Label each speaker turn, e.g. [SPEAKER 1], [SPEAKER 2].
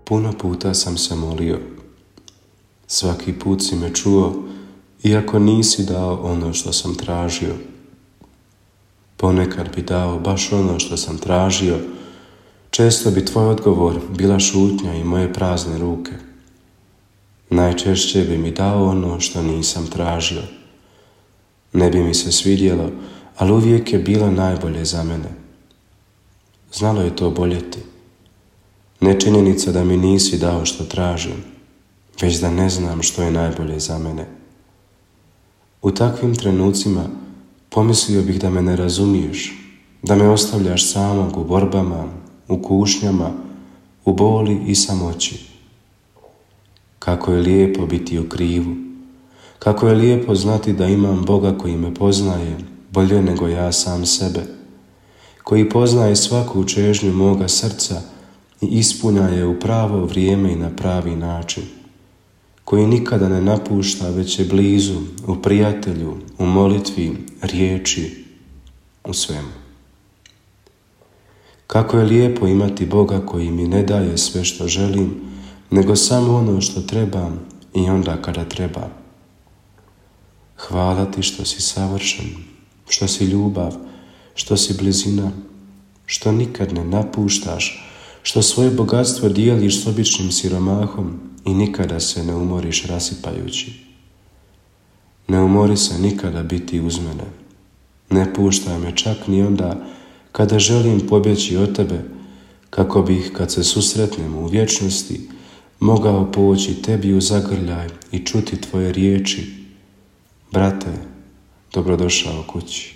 [SPEAKER 1] Puno puta sam se molio. Svaki put si me čuo, iako nisi dao ono što sam tražio. Ponekad bi dao baš ono što sam tražio, često bi tvoj odgovor bila šutnja i moje prazne ruke. Najčešće bi mi dao ono što nisam tražio. Ne bi mi se svidjelo, ali uvijek je bilo najbolje za mene. Znalo je to boljeti. Ne činjenica da mi nisi dao što tražim, već da ne znam što je najbolje za mene. U takvim trenucima pomislio bih da me ne razumiješ, da me ostavljaš samog u borbama, u kušnjama, u boli i samoći. Kako je lijepo biti u krivu, kako je lijepo znati da imam Boga koji me poznaje bolje nego ja sam sebe, koji poznaje svaku čežnju moga srca i ispunja je u pravo vrijeme i na pravi način, koji nikada ne napušta, već je blizu, u prijatelju, u molitvi, riječi, u svemu. Kako je lijepo imati Boga koji mi ne daje sve što želim, nego samo ono što trebam i onda kada trebam. Hvala ti što si savršen, što si ljubav, što si blizina, što nikad ne napuštaš, što svoje bogatstvo dijeliš s običnim siromahom i nikada se ne umoriš rasipajući. Ne umori se nikada biti uz mene. Ne puštaj me čak ni onda kada želim pobjeći od tebe, kako bih, kad se susretnemo u vječnosti, mogao poći tebi u zagrljaj i čuti tvoje riječi: brate, dobrodošao kući.